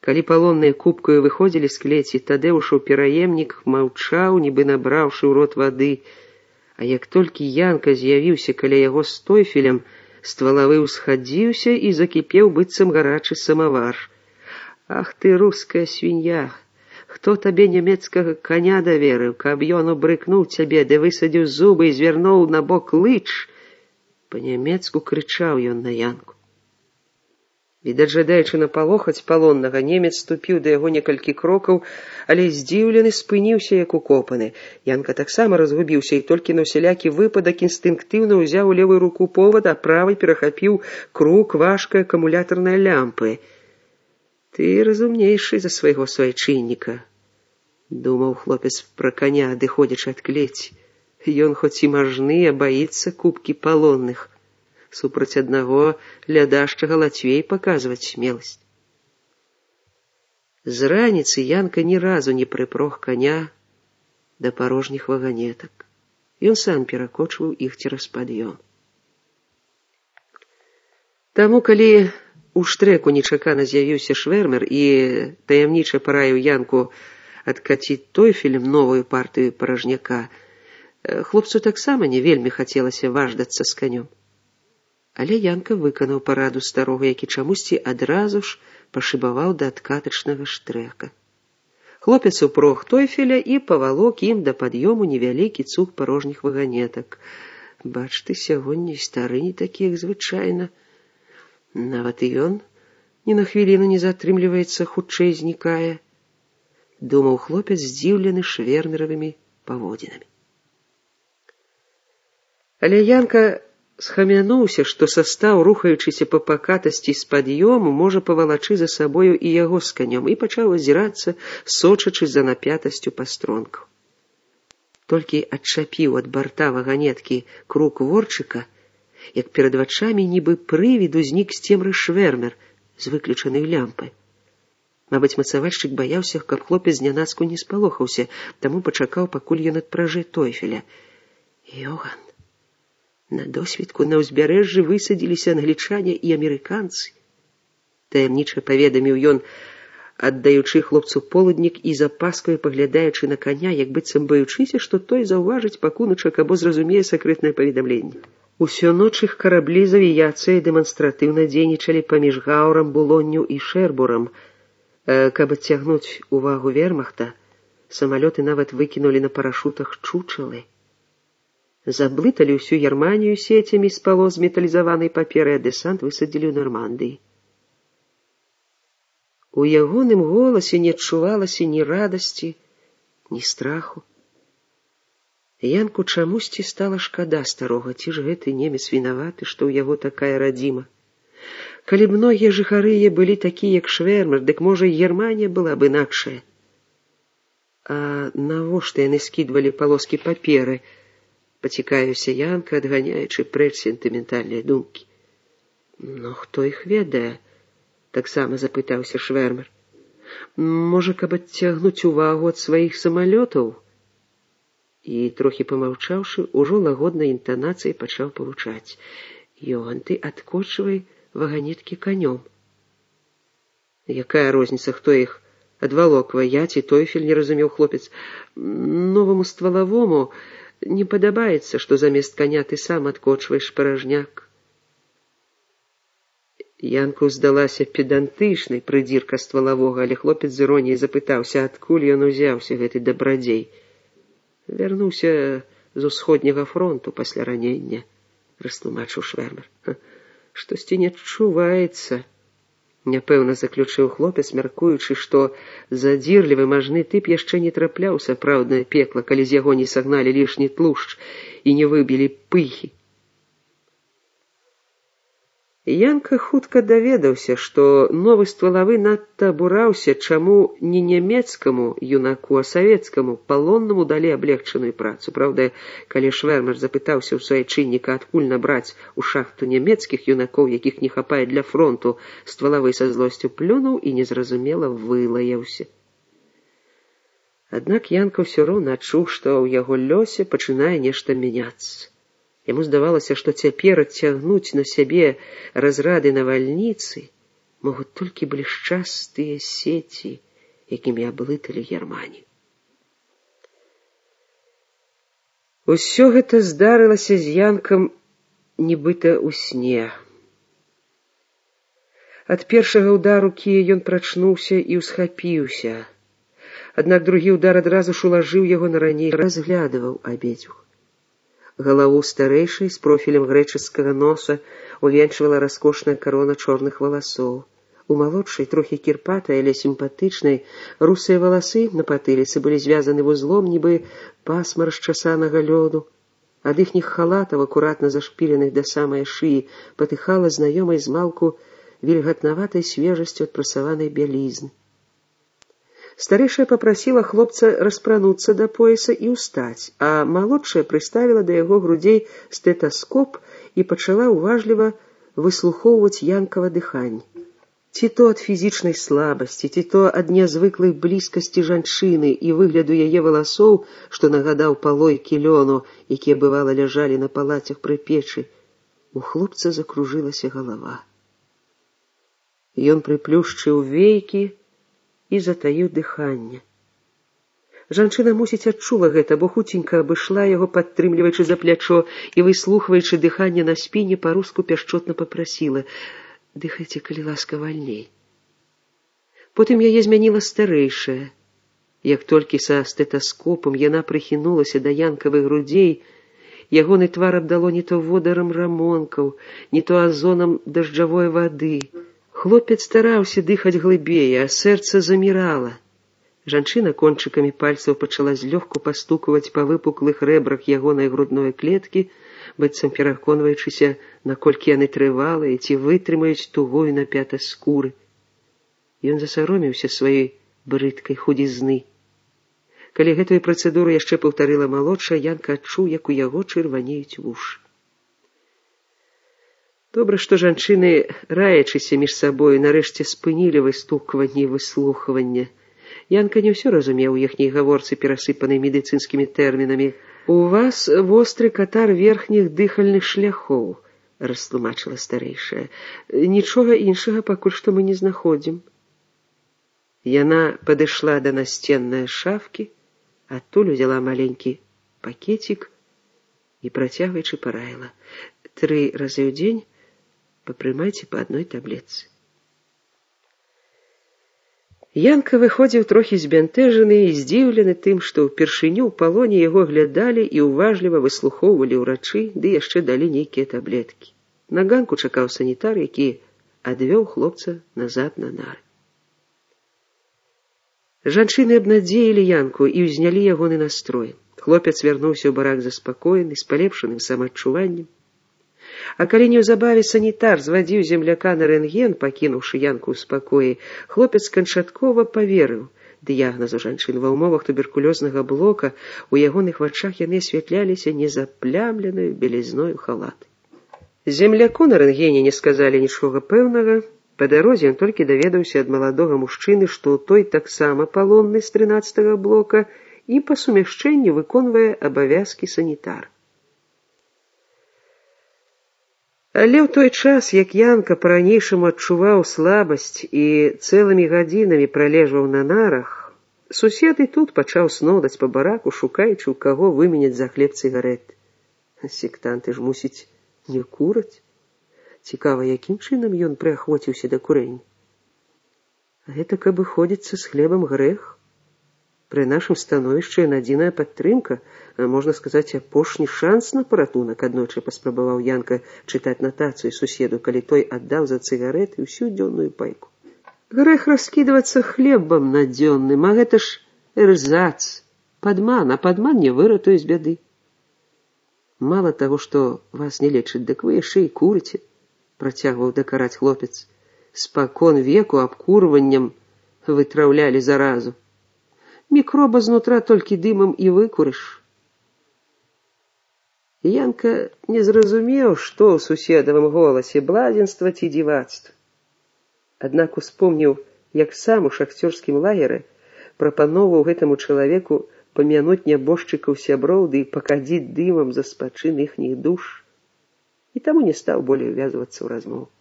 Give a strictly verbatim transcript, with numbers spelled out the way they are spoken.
Калі палонныя купкаю выходзілі з клеці, Тадэўшаў пераемнік маўчаў, нібы набраўшы ў рот вады, а як толькі Янка з'явіўся каля яго з тойфелем, ствалавы ўсхадзіўся і закіпеў быццам гарачы самавар. «Ах ты, руская свінья! Хто табе нямецкага коня даверыў, каб ён убрыкнуў цябе, ды высадзіў зубы і звярнуў на бок лыч?» Па-нямецку крычаў ён на Янку. Відаць, жадаючы напалохаць палоннага, немец ступіў да яго некалькі крокаў, але здзіўлены спыніўся, як укопаны. Янка таксама разгубіўся і толькі на ўсялякі выпадак інстынктыўна ўзяў у левую руку повад, а правай перахапіў крук важкай акумулятарнай лямпы. «Ты разумнейшы за свайго суайчынніка», — думаў хлопец пра каня, адыходзячы ад клеці. Ён хоць і мажны, а баіцца купкі палонных. Супраць аднаго лядашчага лацвей паказваць смеласць. З раніцы Янка ні разу не прыпрог коня да парожніх ваганетак. Ён сам перакочваў іх цераз пад'ём. Таму, калі у штрэку нечакана з'явіўся швэрмер і таямніча параіў Янку адкаціць тойфелем новую партыю паражняка, хлопцу таксама не вельмі хацелася важдацца з канём. Але Янка выканаў параду старога, які чамусьці адразу ж пашыбаваў да адкатачнага штрэка. Хлопец упрог тойфеля і павалок ім да пад'ёму невялікі цуг парожніх ваганетак. Бач ты, сягоння і стары не такі, як звычайна. Нават і ён ні на хвіліну не затрымліваецца, хутчэй знікае, думаў хлопец, здзіўлены швэрмеравымі паводзінамі. Але Янка схамянуўся, што састаў, рухаючыся па пакатасці з пад'ёму, можа павалачы за сабою і яго з канём, і пачаў азірацца, сочачы за напятасцю пастронкаў. Толькі адчапіў ад барта ваганеткі крук ворчыка, як перад вачамі нібы прывід узнік з цемры швэрмер з выключанай лямпай. Мабыць, мацавальшчык баяўся, каб хлопец знянацку не спалохаўся, таму пачакаў, пакуль ён адпражэ тойфеля. Йоган! На досвідку на ўзбярэжжы высадзіліся англічане і амерыканцы. Таямніча паведаміў ён, аддаючы хлопцу полуднік і запаскаю паглядаючы на коня, як быццам баючыся, што той заўважыць пакуначак або зразумее сакрэтнае паведамленне. Усё ноч іх караблі з авіяцыяй дэманстратыўна дзейнічалі паміж Гаўрам, Булонню і Шэрбурам. Каб адцягнуць увагу вермахта, самалёты нават выкінулі на парашутах чучалы. Заблыталі ўсю Германію сецямі з палос металізаванай паперы, а дэсант высадзілі ў Нармандыі. У ягоным голасе не адчувалася ні радасці, ні страху. Янку чамусьці стала шкада старога, ці ж гэты немец вінаваты, што ў яго такая радзіма. Калі б многія жыхары былі такія, як швэрмер, дык, можа, і Германія была б інакшая. А навошта яны скідвалі палоскі паперы? Пацікавіўся Янка, адганяючы прэч сентыментальныя думкі. Ну, хто іх ведае? Таксама запытаўся швэрмер. Можа, каб адцягнуць увагу ад сваіх самалётаў? І, трохі памаўчаўшы, ужо лагоднай інтанацыяй пачаў павучаць. Йоган, ты адкочвай ваганеткі канём. Якая розніца, хто іх адвалоквае, я ці тойфель, не разумеў хлопец. Новаму ствалавому не падабаецца, што замест каня ты сам адкочваеш паражняк. Янку здалася педантычнай прыдзірка ствалавога, але хлопец з іроніяй запытаўся, адкуль ён узяўся, гэты дабрадзей. Вярнуўся з усходняга фронту пасля ранення, растлумачыў швэрмер. Штосьці не адчуваецца. Няпэўна заключыў хлопец, мяркуючы, што задзірлівы мажны тып яшчэ не трапляў у сапраўднае пекла, калі з яго не сагналі лішні тлушч і не выбілі пыхі. Янка хутка даведаўся, што новы ствалавы надта абураўся, чаму не нямецкаму юнаку, а савецкаму палоннаму далі аблегчаную працу. Праўда, калі швэрмер запытаўся ў суайчынніка, адкуль набраць у шахту нямецкіх юнакоў, якіх не хапае для фронту, ствалавы са злосцю плюнуў і незразумела вылаяўся. Аднак Янка ўсё роўна адчуў, што ў яго лёсе пачынае нешта мяняцца. Яму здавалася, што цяпер адцягнуць на сябе разрады навальніцы могуць толькі блішчастыя сеці, якімі аблыталі Германію. Усё гэта здарылася з Янкам нібыта ў сне. Ад першага ўдару кія ён прачнуўся і ўсхапіўся. Аднак другі ўдар адразу ж улажыў яго на раней, разглядываў абедзвюх. Галаву старэйшай з профілем грэчаскага носа увенчвала раскошная карона чорных валасоў. У малодшай, трохі кірпатай, але сімпатычнай, русыя валасы на патыліцы былі звязаны вузлом, нібы пасма расчасанага лёду. Ад іхніх халатаў, акуратна зашпіленых да самай шыі, патыхала знаёмай змалку вільгатнаватай свежасцю ад прасаванай бялізны. Старэйшая папрасіла хлопца распрануцца да пояса і ўстаць, а малодшая прыставіла да яго грудзей стэtaскоп і пачала ўважліва выслухоўваць Янкава дыханне. Ці то ад фізічнай слабасці, ці то ад нязвыклай блізкасці жанчыны і выгляду яе валасоў, што нагадаў палойкі лёну, якія бывала ляжалі на палацях пры печы, у хлопца закружылася галава. Ён прыплюшчыў вейкі і затаіў дыханне. Жанчына, мусіць, адчула гэта, бо хуценька абышла яго, падтрымліваючы за плячо і выслухваючы дыханне на спіне, па-руску пяшчотна папрасіла: «Дыхайце, калі ласка, вальней». Потым яе змяніла старэйшая. Як толькі са стэtaскопам яна прыхінулася да Янкавых грудзей, ягоны твар абдало не то водарам рамонкаў, не то азонам дажджавой вады. Хлопец стараўся дыхаць глыбей, а сэрца замірала. Жанчына кончыкамі пальцаў пачала злёгку пастукваць па выпуклых рэбрах ягонай грудной клеткі, быццам пераконваючыся, наколькі яны трывалыя, ці вытрымаюць тугую напятасць скуры. Ён засаромеўся сваёй брыдкай худізны. Калі гэтую працэдуру яшчэ паўтарыла малодшая, Янка адчуў, як у яго чырванеюць вушы. Добра, што жанчыны, раячыся між сабою, нарэшце спынілі выстукванне і выслухванне. Янка не ўсё разумеў у іхняй гаворцы, перасыпанай медыцынскімі тэрмінамі. «У вас востры катар верхніх дыхальных шляхоў», — растлумачыла старэйшая. «Нічога іншага пакуль што мы не знаходзім». Яна падышла да насценнай шафкі, адтуль узяла маленькі пакетик і, працягваючы, параіла: «Тры разы ў дзень папрымайце па адной таблетцы». Янка выходзіў трохі збянтэжаны і здзіўлены тым, што ўпершыню ў палоне яго глядалі і ўважліва выслухоўвалі ўрачы, ды яшчэ далі нейкія таблеткі. На ганку чакаў санітар, які адвёў хлопца назад на нары. Жанчыны абнадзеілі Янку і ўзнялі ягоны настрой. Хлопец вярнуўся ў барак заспакоены, з палепшаным самаадчуваннем. А калі неўзабаве санітар звадзіў земляка на рэнтген, пакінуўшы Янку ў спакоі, хлопец канчаткова паверыў дыягназу жанчын. Ва ўмовах туберкулёзнага блока у ягоных вачах яны асвятляліся незаплямленаю белізною халаты. Земляку на рэнтгене не сказалі нічога пэўнага. Па дарозе ён толькі даведаўся ад маладога мужчыны, што той таксама палонны з трынаццатага блока і па сумяшчэнню выконвае абавязкі санітара. Але ў той час, як Янка па-ранейшаму адчуваў слабасць і цэлымі гадзінамі пралежваў на нарах, сусед і тут пачаў снодаць па бараку, шукаючы, у каго выменяць за хлеб цыгарэты. Сектанты ж, мусіць, не кураць. Цікава, якім чынам ён прыахвоціўся да курэння. Гэта каб выходзіцца з хлебам грэх. Пры нашым становішчы адзіная падтрымка, можна сказаць, апошні шанс на паратунак. Аднойчы паспрабаваў Янка чытаць натацыю суседу, калі той аддаў за цыгарэты ўсю дзённую пайку. Грэх раскідвацца хлебам надзённым, а гэта ж эрзац, падман, а падман не выратуе з бяды. Мала таго, што вас не лечаць, дык вы яшчэ і курыце, працягваў дакараць хлопец. Спакон веку абкурваннем вытраўлялі заразу. Мікроба знутра толькі дымам і выкурыш. Янка не зразумеў, што ў суседавым голасе, блазенства ці дзівацтва. Аднак успомніў, як сам у шахцёрскім лагеры прапаноўваў гэтаму чалавеку памянуць нябожчыкаў сяброў ды пакадзіць дымам за спачын іхніх душ, і таму не стаў болей увязвацца ў размову.